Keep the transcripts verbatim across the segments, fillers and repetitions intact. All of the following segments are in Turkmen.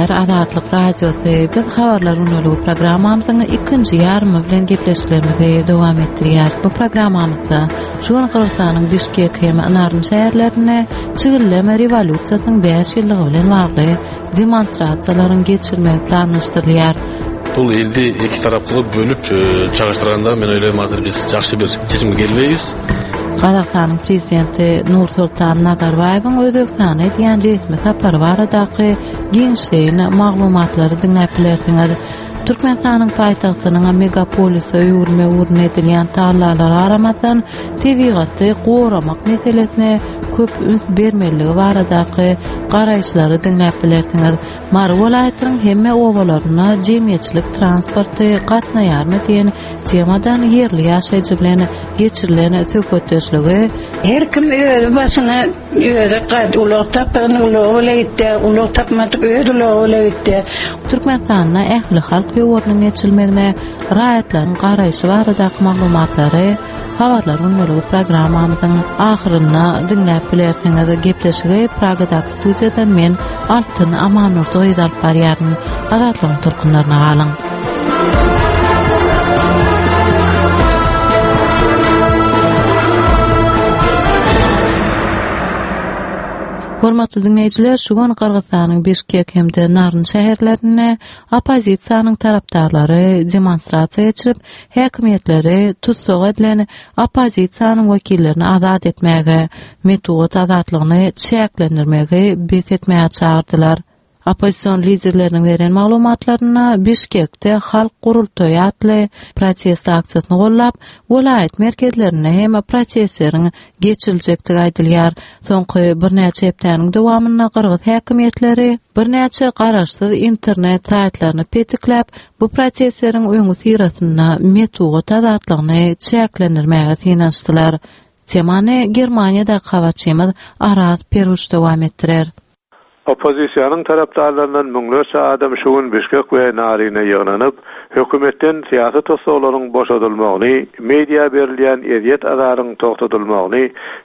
Diňleýär Azatlyk Radiosy. Biz habarlar günlügi programmamyzyň ikinji ýarymy bilen gepleşiklerimizi dowam etdirýäris. Bu programmamyzda şu gün Gyrgyzystanyň Bişkek hem Naryn şäherlerinde çigilleme rewolýusiýasynyň bäş ýyllygy bilen bagly demonstrasiýalaryň geçirilmegi planlaşdyrylýar. Бул элди эки тарап кылып бөлүп чагыштырганда, мен ойлойм, азыр биз жакшы бир чечимге келбейбиз. Gazagystanyň prezidenti Nursultan Nazarbaýewiň Özbegistana edýän resmi sapary baradaky giňişleýin maglumatlary diňläp bilersiňiz. Türkmenistanyň paýtagtynyň megapolise öwürme ugrunda edilýän tagallalara garamazdan, tebigaty goramak meselesine köp üns bermeliligi baradaky garaýyşlary diňläp bilersiňiz. Mary welaýatynyň hemme obalaryna jemgyýetçilik transporty gatnaýarmy diýen temadan ýerli ýaşaýjy bilen geçirilen söhbetdeşligi, Her kim özi başyna özi gad ulag tapan ulagy bilen gitdi, ulag tapmadyk öz ulagy bilen gitdi. Türkmenistanda ähli halk ýowarynyň geçirilmegine raýatlaryň garaýşy baradaky maglumatlary habarlar günlügi programmamyzyň ahyrynda diňläp bilersiňiz. Gepleşigi Pragadaky studiýada men Altyn Amanurdy alyp barýaryn. Azatlygyň tolkunlaryna galyň. Hormatly dinleýjiler, şu gün Gyrgyzystanyň Bişkek hem-de Naryn şäherlerinde oppozisiýanyň tarapdarlary demonstrasiýa geçirip, häkimiýetleri tussag edilen oppozisiýanyň wekillerini azat etmäge, metbugat azatlygyny çäklendirmegi bes etmäge çagyrdylar. Oppozision liderleriniň beren maglumatlaryna Bişkekde halk gurultaýy atly protest aksiýasyny gollap, welaýat merkezlerinde hem protestleriň geçiriljekdigi aýdylýar. Soňky birnäçe hepdäniň dowamynda gyrgyz häkimiýetleri birnäçe garaşsyz internet saýtlaryny petikläp, bu protestleriň öňi syrasynda metbugat azatlygyny çäklendirmäge synanyşdylar. Temany Germaniýada habarçymyz Araz Peruç dowam etdirer. Oppozisiýanyň tarapdarlaryndan müňlerçe adam şu gün Bişkek we Naryna ýygnanyp, hökümetden syýasy tussaglaryň boşadylmagyny, media berilýän ezýet azaryň togtadylmagyny,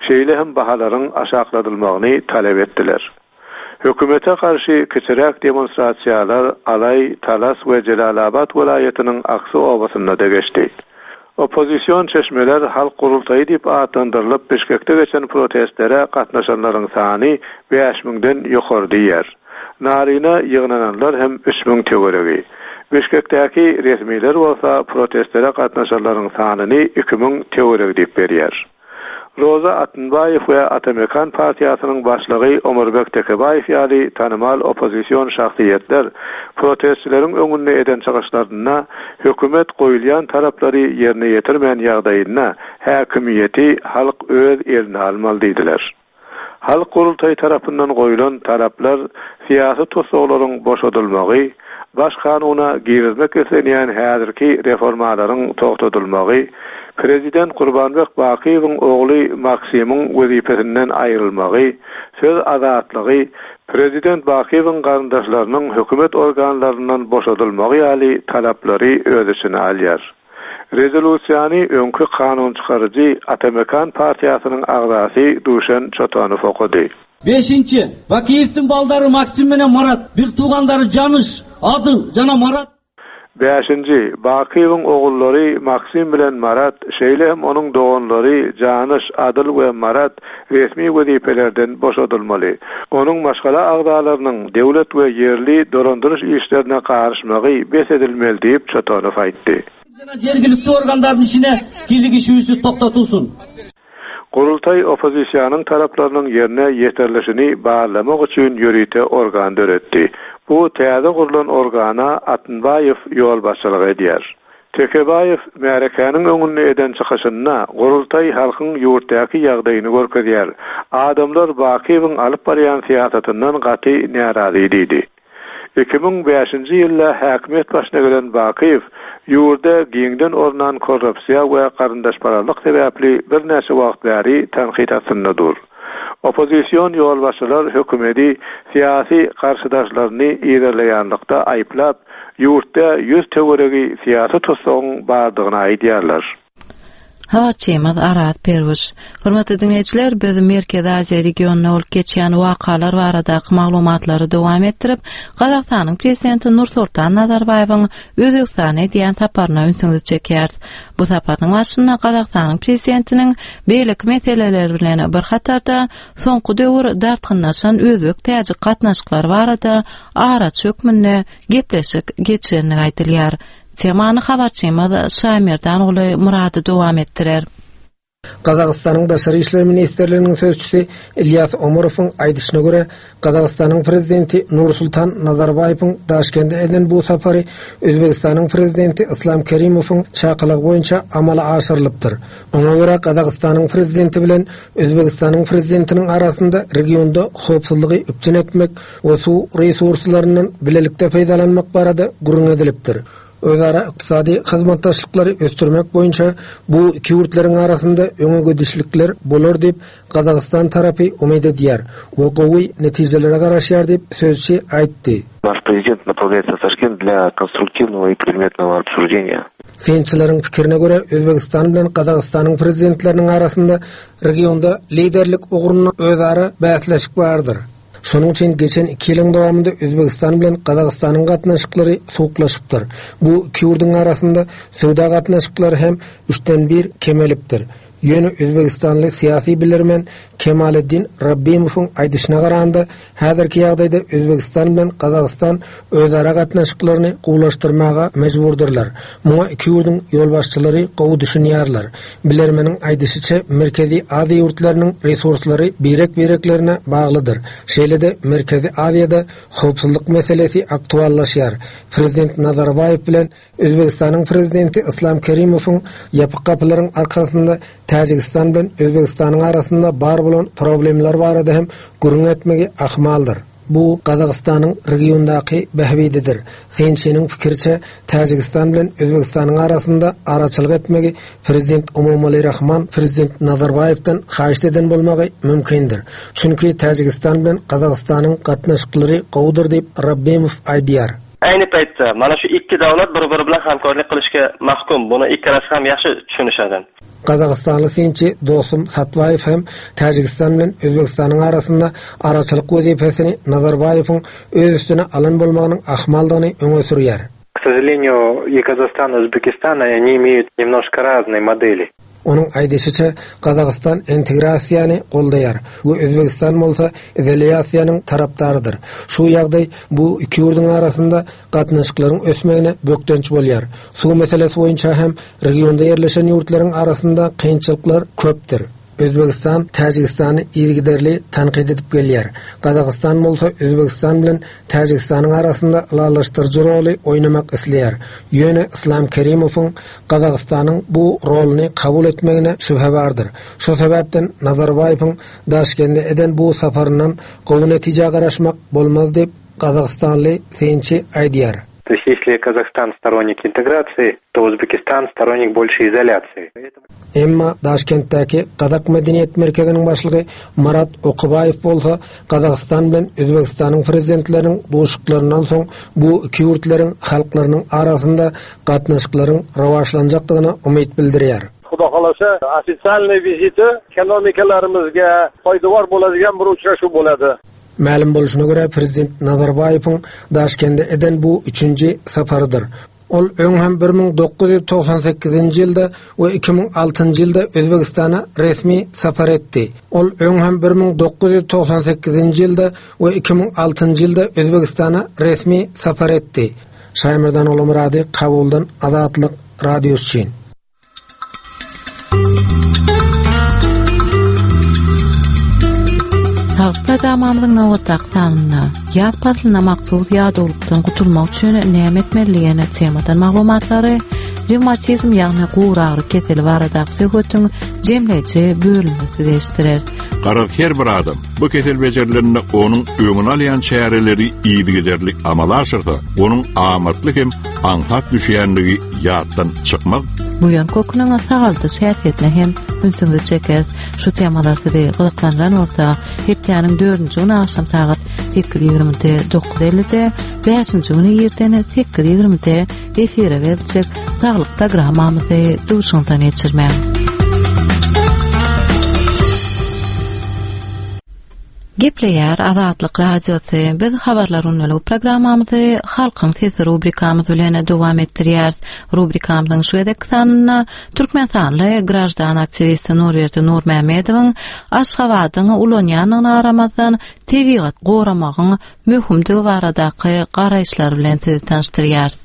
şeýle hem bahalaryň aşakladylmagyny talap etdiler. Hökümete garşy kiçiräk demonstrasiýalar Alay, Talas we Jelalabat welaýatynyň Aksy obasynda da geçdi. Oppozision çeşmeler halk gurultaýy diýip atlandyrylyp Bişkekde geçen protestlere gatnaşanlaryň sany bäş müňden ýokary diýer. Naryna ýygnananlar hem üç müň töweregi. Bişkekdäki resmiler bolsa protestlere gatnaşanlaryň sanyny iki müň töweregi diýip berýär. Roza Atunbaýew we Atamekan partiýasynyň başlygy Omurbek Tekebaýew ýaly tanymal oppozision şahsyýetler protestçileriň öňünde eden çykyşlarynda hökümet goýulýan taraplary ýerine ýetirmän ýagdaýynda häkimiýeti halk öz eline almaly diýdiler. Halk gurultaýy tarapyndan goýulan taraplar syýasy tussaglaryň boşadylmagy, baş kanuna girizmek islenýän häzirki reformalaryň togtadylmagy, Prezident Kurbanbek Bakyýewiň ogly Maksimyň wezipesinden aýrylmagy, söz azatlygy, Prezident Bakyýewiň garyndaşlarynyň hökümet organlaryndan boşadylmagy ýaly talaplary öz içine alýar. Rezolýusiýany öňki kanun çykaryjy Atamekan partiýasynyň agzasy Duşan Çotanow okady. Бешинчи, Бакиевдин балдары Максим менен Марат, бир туугандары Жаныш, Адыл жана Марат. Bäşinji, Bakyýewiň ogullary Maksim bilen Marat, şeýle hem onuň doganlary Janyş, Adyl we Marat resmi wezipelerden boşadylmaly. Onuň maşgala agzalarynyň döwlet we ýerli dolandyryş işlerine garyşmagy bes edilmeli diýip Çotanow aýtdy. Жана жергиликтүү органдардын ишине кийлигишүүсү токтотулсун. Gurultaý oppozisiýanyň taraplarynyň ýerine ýetirilişini barlamak üçin ýörite organ döretdi. Bu täze gurlan organa Atunbaýew ýolbaşçylyk edýär. Tekebaýew märekaniň öňünde eden çykyşynda Gurultaý halkyň ýurtdaky ýagdaýyny görkezýär. Adamlar Bakyýewiň alyp barýan syýasatyndan gaty närazy diýdi. Iki müň bäşinji ýylda häkimiýet başyna gelen Bakyýew ýurda giňden ornan korrupsiýa we garyndaşpararlyk sebäpli birnäçe wagt bäri tankyt astynda dur. Oppozision ýolbaşçylar hökümeti syýasy garşydaşlaryny yzarlaýanlykda aýyplap, ýurtda ýüz töweregi syýasy tussagyň bardygyny aýdýarlar. Habarçymyz Araz Perwiş. Hormatly dinleýjiler, biz Merkezi Aziýa regionynda bolup geçýän wakalar baradaky maglumatlary dowam etdirip, Gazagystanyň prezidenti Nursultan Nazarbaýewiň Özbegistana edýän saparyna ünsüňizi çekýäris. Bu saparyň başynda Gazagystanyň prezidentiniň beýleki meseleler bilen bir hatarda soňky döwür dartgynlaşan özbek-täjik gatnaşyklary barada araçy hökmünde gepleşik geçirenligi aýdylýar. Temany habarçymyz Şamirdan Murady dowam etdirer. Gazagystanyň Daşary işler ministrliginiň sözçüsi Ilýas Omarowyň aýdyşyna görä, Gazagystanyň prezidenti Nursultan Nazarbaýewiň Daşkende eden bu sapary Özbegistanyň prezidenti Islam Kerimowyň çakylygy boýunça amala aşyrylypdyr. Oňa görä Gazagystanyň prezidenti bilen Özbegistanyň prezidentiniň arasynda regionda howpsuzlygy üpjün etmek we suw resurslaryndan bilelikde peýdalanmak barada gürrüň edilipdir. Özara ykdysady hyzmatdaşlyklary ösdürmek boýunça bu iki ýurtlaryň arasynda öňe gidişlikler bolar diýip Gazagystan tarapy umyt edýär we gowy netijelere garaşýar diýip sözçi aýtdy. Наш президент направляется в Ташкент для конструктивного и предметного обсуждения. Synçylaryň pikirine görä Özbegistan bilen Gazagystanyň prezidentleriniň arasynda regionda liderlik ugrunda özara bäsleşik bardyr. Şonuň üçin geçen iki ýylyň dowamynda Özbegistan bilen Gazagystanyň gatnaşyklary soğuklaşypdyr. Bu iki ýurduň arasynda söwda gatnaşyklary hem üçden bir kemelipdir. Ýöne Özbegistanly syýasy bilermen Kemaleddin Rabbimowyň aýdyşyna garanda häzirki ýagdaýda Özbegistan bilen Gazagystan özara gatnaşyklaryny gowulaşdyrmaga mejburdyrlar. Muňa iki ýurduň ýolbaşçylary gowy düşünýärler. Bilermeniň aýdyşyça Merkezi Aziýa ýurtlarynyň resurslary birek-bireklerine baglydyr. Şeýle-de Merkezi Aziýada howpsuzlyk meselesi aktuallaşýar. Prezident Nazarbaýew bilen Özbegistanyň prezidenti Islam Kerimowyň ýapyk gapylaryň arkasynda Täjigistan bilen Özbegistanyň arasynda bar bolan problemler barada hem gürrüň etmegi ahmaldyr. Bu Gazagystanyň regiondaky bähbididir. Synçynyň pikiriçe Täjigistan bilen Özbegistanyň arasynda araçylyk etmegi prezident Emomali Rahman prezident Nazarbaýewden haýyş eden bolmagy mümkindir. Çünki Täjigistan bilen Gazagystanyň gatnaşyklary gowudyr diýip Rabbimow aýdýar. Ayni paytda mana shu ikki davlat bir-biri bilan hamkorlik qilishga mahkum. Buni ikkalasi ham yaxshi tushunishadi. Gazagystanly synçy Dosum Satbaýew hem Täjigistan bilen Özbegistanyň arasynda araçylyk wezipesini Nazarbaýewiň öz üstüne alan bolmagynyň ahmaldygyny öňe sürýär. К сожалению, и Казахстан, и Узбекистан, они имеют немножко разные модели. Onuň aýdyşyça Gazagystan integrasiýany goldaýar we Özbegistan bolsa izolýasiýanyň tarapdarydyr. Şu ýagdaý bu iki ýurduň arasynda gatnaşyklaryň ösmegine bökdenç bolýar. Suw meselesi boýunça hem regionda ýerleşen ýurtlaryň arasynda kynçylyklar köpdür. Özbegistan Täjigistany yzygiderli tanqid edip gelýär. Gazagystan bolsa Özbegistan bilen Täjigistanyň arasynda ylalaşdyryjy roly oýnamak isleýär. Ýöne Islam Kerimowyň Gazagystanyň bu roluny kabul etmegine şübhe bardyr. Şu sebäpden Nazarbaýewiň Daşkende eden bu saparyndan gowy netije garaşmak bolmaz diýip Gazagystanly synçy aýdýar. То есть если Казахстан сторонник интеграции, то Узбекистан сторонник больше изоляции. Emma Daşkentdäki Gazak Medeniýet Merkeziniň başlygy Marat Okubaýew bolsa Gazagystan bilen Özbegistanyň prezidentleriniň duşuşyklaryndan soň bu iki ýurtlaryň halklarynyň arasynda gatnaşyklaryň rivojlanjakdygyna umyt bildirýär. Xudo xolasa, официальный viziti ekonomikalarimizga poydevor bo'ladigan bir uchrashuv bo'ladi. Mälim bolşuna görä prezident Nazarbaýewiň Daşkende eden bu üçünji saparydyr. Ol öň hem bir müň dokuz ýüz togsan sekizinji ýylda we iki müň altynjy ýylda Özbegistana resmi sapar etdi. Ol öň hem bir müň dokuz ýüz togsan sekizinji ýylda we iki müň altynjy ýylda Özbegistana resmi sapar etdi. Şaýmerdan Olamurady, Kabuldan Azatlyk Radiosy üçin. Saglyk programmamyzyň nobatdaky sanynda ýaz paslyna mahsus ýadawlykdan gutulmak üçin näme etmeli diýen temadan maglumatlary, revmatizm ýagny guragyry keseli baradaky söhbetiň jemleýji bölümini size eşitdirer. Garaz her bir adam bu kesel becerilerinde onuň öňüni alýan çäreleri yzygiderli amala aşyrsa, onuň amatly hem aňsat düşýänligi ýatdan çykmaz. Buýan köküniň sagaldyş häsiýetine hem ünsüňizi çeker. Şu temalar sizi gyzyklandyran bolsa, hepdäniň dördünji güni agşam sagat sekiz ýigrimide dokuz ellide, bäşinji güni irden sekiz ýigrimide efire beriljek saglyk programmamyzy duşuňdan geçirmäň. Gepleýär Azatlyk Radiosy. Biz habarlar günlük programmamyzy Halkyň sesi rubrikamyz bilen dowam etdirýäris. Rubrikamyzyň şu gezek sanynda Türkmenistanly graždan aktiwisti Nurberdi Nurmämmedowyň Aşgabadyň ulanýandygyna garamazdan tebigat goramagyň möhümdigi baradaky garaýyşlar bilen sizi tanyşdyrýarys.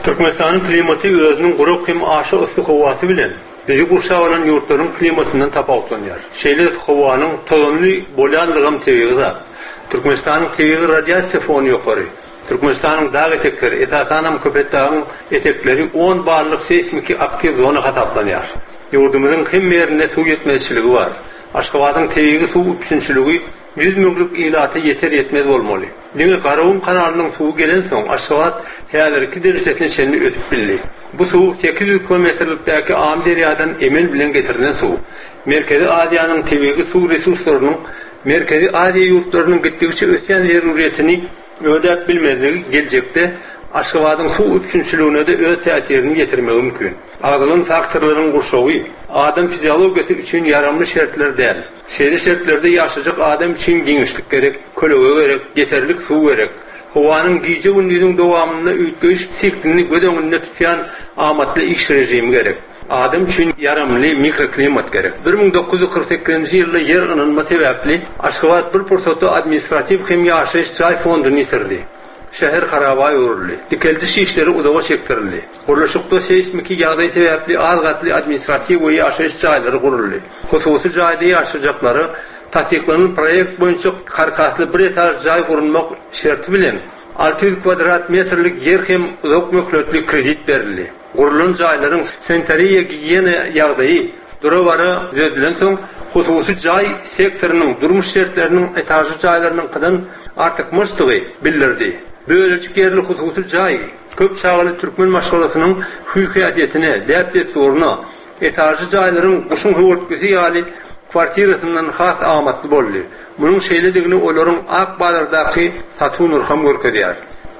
Türkmenistanyň klimaty özüniň gurak hem aşa yssy howasy bilen bizi gurşap alan ýurtlaryň klimatyndan tapawutlanýar. Şeýle howanyň tozanly bolýanlygam tebigy zat. Türkmenistanyň tebigy radiasiýa fony ýokary. Türkmenistanyň dag etekleri, esasanam Köpetdagyň etekleri on ballyk seýsmiki aktiw zona hasaplanýar. Ýurdumyzyň hemme ýerinde suw ýetmezçiligi bar. Aşgabadyň tebigy suw üpjünçiligi ýüz müňlük ilata ýeter ýetmez bolmaly. Diňe Garagum kanalynyň suwy gelensoň Aşgabat häzirki derejesine çenli ösüp bildi. Bu suw sekiz ýüz kilometrlikdäki Amyderýadan emel bilen getirilen suw. Merkezi Aziýanyň tebigy suw resurslarynyň Merkezi Aziýa ýurtlarynyň gitdigiçe ösýän zeruriyetini ödäp bilmezligi geljekde Aşgabadyň suw üpjünçiligine-de öz täsirini ýetirmegi mümkin. Agzalan faktorlaryň gurşawy adam fiziologiýasy üçin ýaramly şertler däl. Şeýle şertlerde ýaşajak adam üçin giňişlik gerek, kölege gerek, ýeterlik suw gerek. Howanyň gije gündüziň dowamynda üýtgeýiş siklini göz öňünde tutýan amatly iş rejimi gerek. Adam üçin ýaramly mikroklimat gerek. bir müň dokuz ýüz kyrk sekizinji ýylda ýer ynanma sebäpli Aşgabat bir pursatda administratiw hem ýaşaýyş jaý fonduny ýitirdi. Şäher haraba öwrüldi. Dikeldiş işleri uzaga çekdirildi. Gurluşykda seýsmiki ýagdaý sebäpli az gatly administratiw we ýaşaýyş jaýlary guruldy. Hususy jaýda ýaşajaklara tassyklanan proýekt boýunça karkasly bir etaž jaý gurulmak şerti bilen alty ýüz kvadrat metrlik ýer hem uzak möhletli kredit berildi. Gurulan jaýlaryň sanitariýa gigiýena ýagdaýy dura-bara düzedilensoň hususy jaý sektorynyň durmuş şertleriniň etažly jaýlarynyňkydan artykmaçdygy bildirdi. Bölejik ýerli hususy jaý köp çagaly türkmen maşgalasynyň hüý-häsiýetine, däp-dessuryna, etažly jaýlaryň guşuň höwürtgisi ýaly kwartirasyndan has amatly boldy. Munuň şeýledigini olaryň ak bazardaky satuw nyrham görkezýär.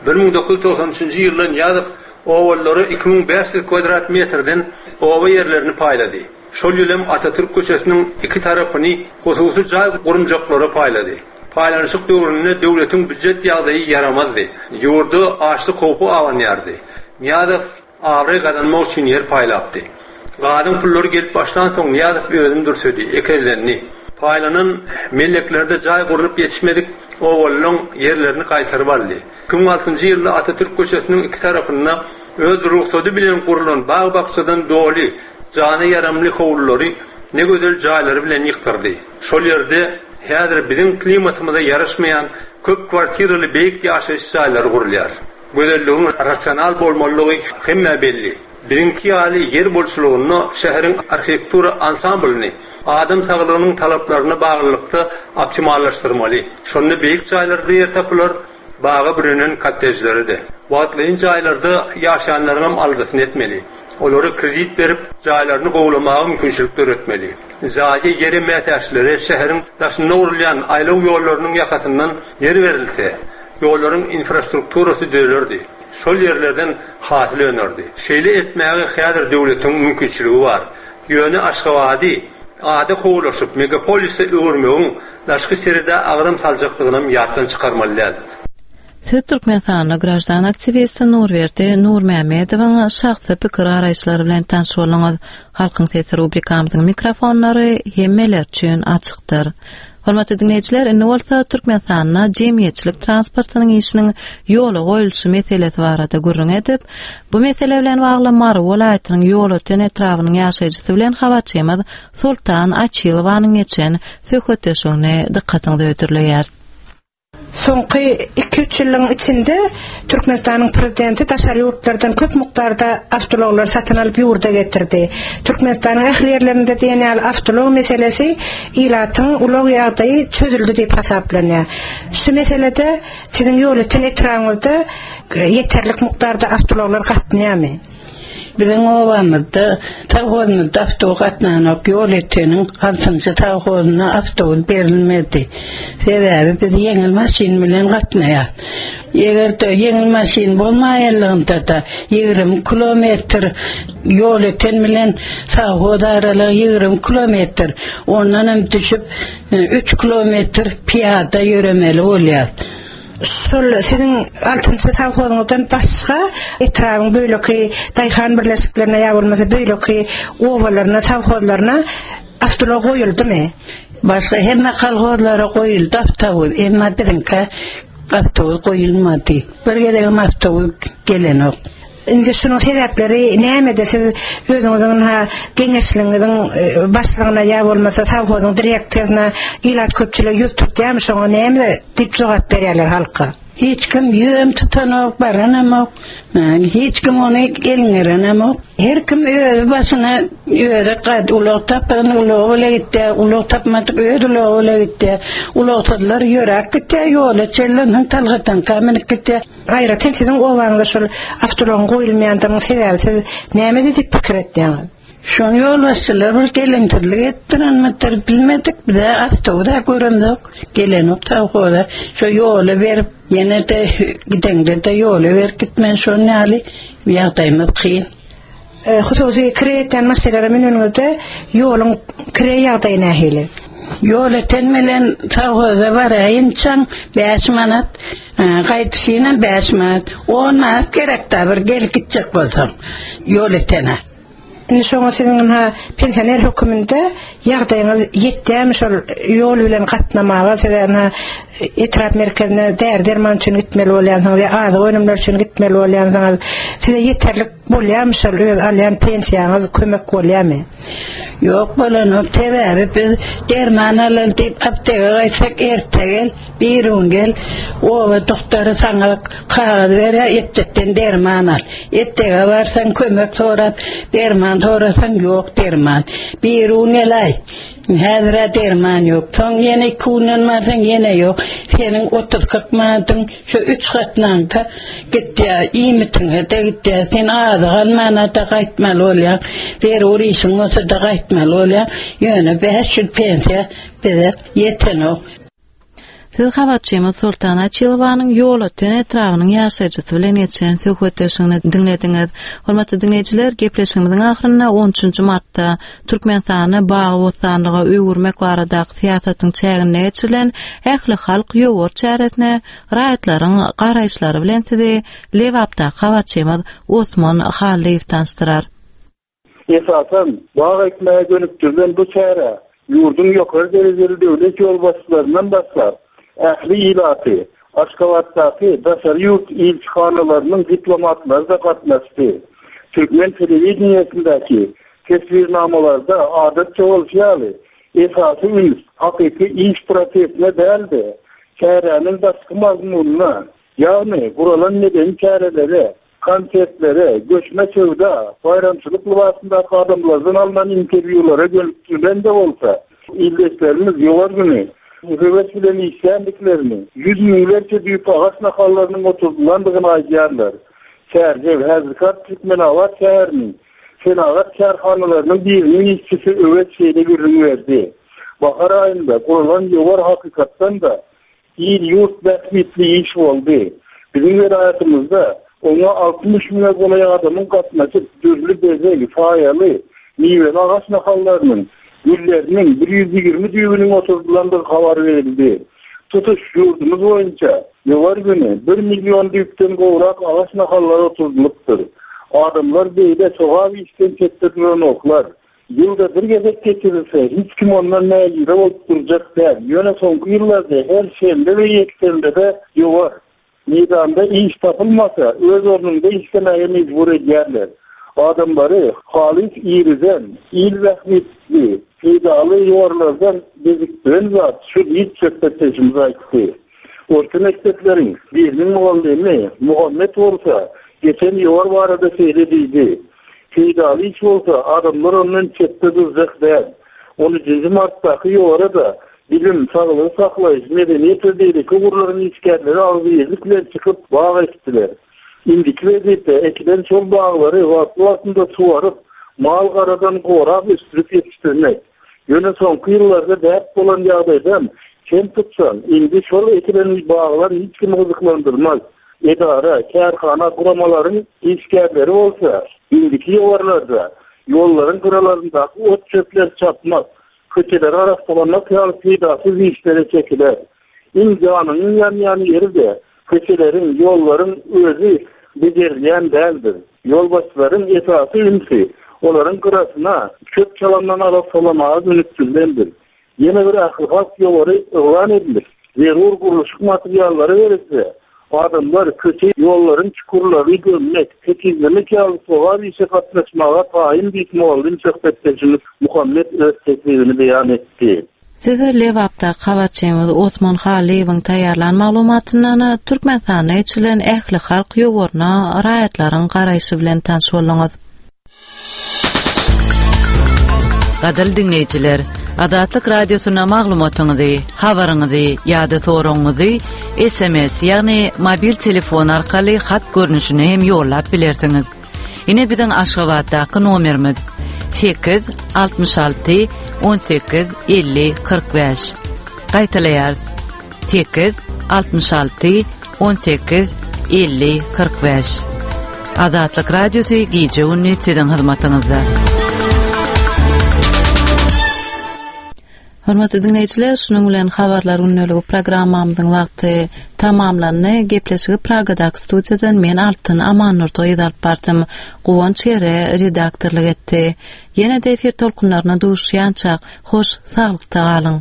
bir müň dokuz ýüz togsan üçünji ýyldan Nyýazow obalara iki müň bäş ýüz kvadrat metrden oba ýerlerini paýlady. Şol ýyl hem Atatürk köçesiniň iki tarapyny hususy jaý gurunjaklara paýlady. Paýlanyşyk döwründe döwletiň býujet ýagdaýy ýaramazdy. Ýurda açlyk howpy abanýardy. Nyýazow abraý gazanmak üçin ýer paýlapdy. Gazyň pullary gelip başlansoň Nyýazow özüni dürsedi, ekezlendi. Paýlanan melleklerde jaý gurulyp ýetişmedik obalylaryň ýerlerini gaýtaryp aldy. iki müň altynjy ýylda Atatürk köçesiniň iki tarapynda öz rugsady bilen gurulan bag-bakjadan doly jana ýaramly howlulary ne gözel jaýlary bilen ýykdyrdy. Şol ýerde häzir biziň klimatymyza ýaraşmaýan köp kwartiraly beýik ýaşaýyş jaýlary gurulýar. Gözelligiň rasional bolmalydygy hemmä belli. Biziňki ýaly ýer bolçulygynda şäheriň arhitektura ansamblyny adam saglygynyň talaplaryna baglylykda optimallaşdyrmaly. Şonda beýik jaýlarda ýer tapylar, baga bürenen kottejleri-de. Wagtlaýyn jaýlarda ýaşaýanlaryňam aladasyny etmeli. Olara kredit berip, jaýlaryny gowlamaga mümkinçilik döretmeli. Jaýa ýere mätäçlere şäheriň daşynda gurulýan aýlaw ýollarynyň ýakasyndan ýer berilse, ýollaryň infrastrukturasy düzelerdi. Şol ýerlerden hasyl önerdi. Şeýle etmäge häzir döwletiň mümkinçiligi bar. Ýöne Aşgabady ada kowulaşyp megapolise öwürmegiň daşky serede agram saljakdygynam ýatdan çykarmaly däl. Siz Türkmenistanly graždan aktiwisti Nurberdi Nurmämmedowyň şahsy pikir garaýyşlary bilen tanyş bolduňyz. Halkyň sesi rubrikamyzyň mikrofonlary hemmeler üçin açykdyr. Hormatly dinleýjiler, indi bolsa Türkmenistanda jemgyýetçilik transportynyň işiniň ýola goýulyşy meselesi barada gürrüň edip, bu mesele bilen bagly Mary welaýatynyň Ýolöten etrabynyň ýaşaýjysy bilen habarçymyz Sultan Açylowanyň geçen söhbetdeşligini dykgatyňyza hödürleýäris. Soňky iki üç ýylyň içinde Türkmenistanyň prezidenti daşary ýurtlardan köp mukdarda awtoulaglar satyn alyp ýurda getirdi. Türkmenistanyň ähli ýerlerinde diýen ýaly awtoulag meselesi ilatyň ulag ýagdaýy çözüldi diýip hasaplanýar. Şu meselede siziň Ýolöten etrabyňyzda ýeterlik mukdarda awtoulaglar gatnaýarmy? Biziň obamyzda sowhozymyzda awtobus gatnanok, Ýolöteniň altynjy sowhozyna awtobus berilmedi. Sebäbi biz ýeňil maşyn bilen gatnaýar. Eger-de ýeňil maşyn bolmaýanlygynda-da ýigrimi kilometr Ýolöten bilen sowhoz aralygy ýigrimi kilometr, ondan hem düşüp üç kilometr pyýada ýöremeli bolýar. Şol siziň altynjy sowhozyňyzdan başga etrabyň beýleki daýhan birleşiklerine ýa bolmasa beýleki obalaryna, sowhozlaryna awtoulag goýuldymy? Başga hemme kolhozlara goýuldy awtobus, emma biziňkä awtobus goýulmady. Bir gezegem awtobus gelenok. Indi şunuň sebäpleri nämede? Siz özüňiziň ynha geňeşligiňiziň başlygyna ýa bolmasa sowhozyň direktoryna ilat köpçüligi ýüz tutýarmy şoňa näme diýip jogap berýärler halka? Hiç kim ýüzem tutanok, baranamok. Hiç kim ony elňerenemok. Her kim özi başyna özi gad ulag tapan ulagy bile gitýär, ulag tapmadyk öz ulagy bile gitýär. Ulagsyzlar ýöräp gitýär, ýola çenli ondan talgataňka münüp gitýär. Aýratyn siziň obaňyzda şol awtoulagyň goýulmaýandygynyň sebäbi siz nämede diýip pikir etýäňiz? Şony ýolbaşçylar bir geleňsizlik etdirenmidir bilmedik, bize awtobus-a göremzok, gelenok sowhoza. Şo ýola berip, ýene-de gideňde-de ýola berip gitmeli, şonuň ýaly ýagdaýymyz kyn. Hususy kireý etýän maşynlara müneniňizde ýoluň kireý ýagdaýy nähili? Ýolöten bilen sowhoza baraýynçaň bäş manat, gaýdyşynam bäş manat, on manat gerek-dä bir gelip gitjek bolsaň Ýolötene. Indi şoňa siziň ynha pensioner höküminde ýagdaýyňyz ýetýärmi şol ýol bilen gatnamaga size ynha etrap merkezine däri-derman üçin gitmeli bolýansyňyz ýa azyk önümleri üçin gitmeli bolýansyňyz size ýeterlik bolýarmy şol öz alýan pensiýaňyz kömek bolýarmy? Ýok bolanok sebäbi biz derman alaly diýip apteka gaýtsak erte gel bir gün gel oba doktory saňa kagyz berýär eptekden derman al eptege barsaň kömek sorap derman sorasaň ýok derman bir gün gelaý häzir-ä derman ýok soň ýene iki günden barsaň ýene ýok seniň otuz kyrk manadyň şu üç gatnaňda gitýär iýmitiňe-de gitýär sen azyk almana-da gaýtmaly bolýaň zerur işiň bolsa-da gaýtmaly bolýaň ýöne bäş ýüz pensiýa bize ýetenok. Siz habarçymyz Soltan Açylowanyň Ýolöten etrabynyň ýaşaýjysy bilen geçen söhbetdeşligini diňlediňiz. Hormatly diňleýjiler, gepleşigimiziň ahyrynda on üçünji martda Türkmenistany bagy-bossanlyga öwürmek baradaky syýasatyň çäginde geçirilen ähli halk ýowar çäresine raýatlaryň garaýyşlary bilen sizi Lebapdaky habarçymyz Osman Hallyýew tanyşdyrar. Esasan, bag ekmäge gönükdirilen bu çäre ýurduň ýokary derejeli döwlet ýolbaşçylaryndan başlap, ähli ilaty, Aşgabatdaky daşary ýurt ilçihanalarynyň diplomatlary-da gatnaşdy. Türkmen telewideniýesindäki teswirnamalarda adatça bolşy ýaly, esasy üns hakyky iş prosesine däl-de, çäräniň daşky mazmunyna, ýagny guralan medeni çärelere, konsertlere, göçme söwda, baýramçylyk lybasyndaky adamlardan alnan interwýulara gönükdirilen-de bolsa, ildeşlerimiz ýowar güni höwes bilen işländiklerini, ýüz müňlerçe düýp agaç nahallarynyň oturdylandygyny aýdýarlar. Çärjew häzirki Türkmenabat şäheriniň senagat kärhanalarynyň biriniň işçisi Öwez şeýle gürrüň berdi. Bahar aýynda guralan ýowar hakykatdan-da il-ýurt bähbitli iş boldy. Biziň welaýatymyzda oňa altmyş müňe golaý adamyň gatnaşyp, dürli bezeg, saýaly, miweli agaç nahallarynyň, gülleriniň bir ýüz ýigrimi düýbüniň oturdylandygy habar berildi. Tutuş ýurdumyz boýunça ýowar güni bir million düýpden gowrak agaç nahallary oturdylypdyr. Adamlar beýle sogap işden çetde duranoklar. Ýylda bir gezek geçirilse, hiç kim ondan nägile bolup durjak däl. Ýöne soňky ýyllarda her şenbe we ýekşenbede ýowar. Meýdanda iş tapylmasa, öz ornunda işlemäge mejbur edýärler. Adamlary halys irizen, il bähbitli, peýdaly ýowarlardan bezikdiren zat şu diýip söhbetdeşimiz aýtdy. Orta mekdepleriň biriniň mugallymy Muhammet bolsa, geçen ýowar barada şeýle diýdi. Peýdaly iş bolsa, adamlar ondan çetde durjak däl. On üçünji martdaky ýowara-da bilim, saglygy saklaýyş, medeniýet we beýleki ugurlaryň işgärleri agzybirlik bilen çykyp bag ekdiler. Indiki wezipe ekilen şol baglary wagtly-wagtynda suwaryp, mal-garadan gorap ösdürip ýetişdirmek. Ýöne soňky ýyllarda däp bolan ýagdaýdan çen tutsaň, indi şol ekilen baglar hiç kimi gyzyklandyrmaz. Edara, kärhana, guramalaryň işgärleri bolsa, indiki ýowarlarda ýollaryň gyralaryndaky ot-çöpleri çapmak, köçeleri arassalamak ýaly peýdasyz işlere çekiler. Iň janynyň ýanýan ýeri-de köçeleriň, ýollaryň özi bejerilýän däldir. Ýolbaşçylaryň esasy ünsi olaryň gyrasyna çöp çalandan arassalamaga gönükdirilendir. Ýene bir ählihalk ýowary yglan edilip, zerur gurluşyk materiallary berilse, adamlar köçe ýollaryň çukurlaryny gömmek, tekizlemek ýaly sogap işe gatnaşmaga taýyn diýip mugallym söhbetdeşimiz Muhammet öz teklibini beýan etdi. Size Lebapda habarçymyz Osman Halyýewiň taýýarlan maglumatyndan Türkmenistanda geçirilen ähli halk ýowaryna raýatlaryň garaýşy bilen tanyş bolduňyz. Gadyrly diňleýjiler, Azatlyk Radiosyna maglumatyňyzy, habaryňyzy ýa-da soragyňyzy S M S, ýagny mobil telefon arkaly hat görnüşini hem ýollap bilersiňiz. Ine biziň Aşgabatdaky nomerimiz sekiz altmyş alty on sekiz elli kyrk bäş. Gaýtalaýarys. Sekiz altmyş alty on sekiz elli kyrk bäş. Azatlyk Radiosy gije gündüz siziň hyzmatyňyzda. Hormatly dinleýjiler, şunuň bilen habarlar gündeligi programmamyzyň wagty tamamlandy. Gepleşigi Pragadaky studiýadan men Altyn Amannurdy alyp bardym. Guwanç Ýere redaktorlyk etdi. Ýene-de efir tolkunlaryna duşýançak, hoş saglykda galyň.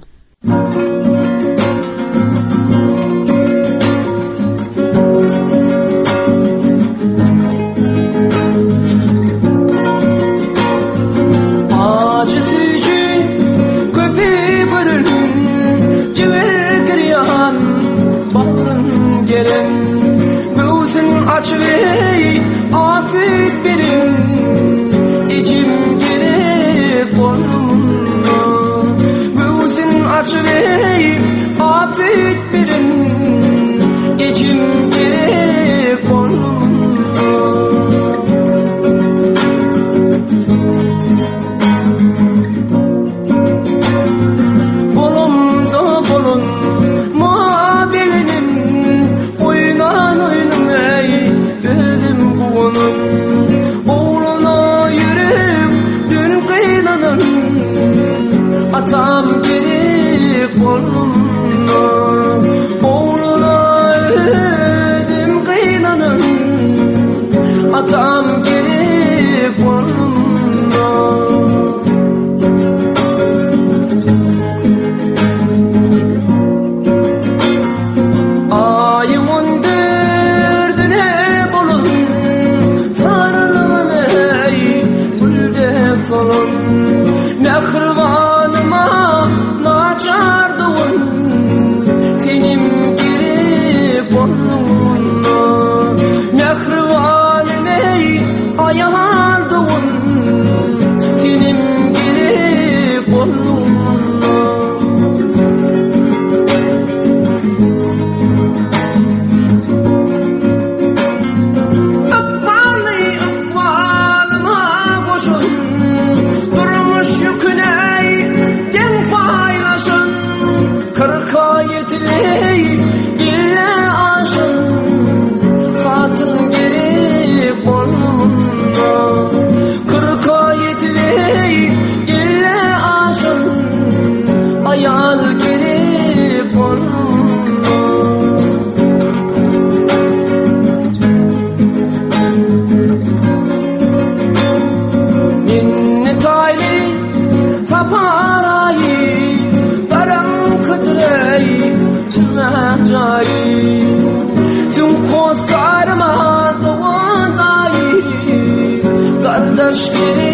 Kardeş gerek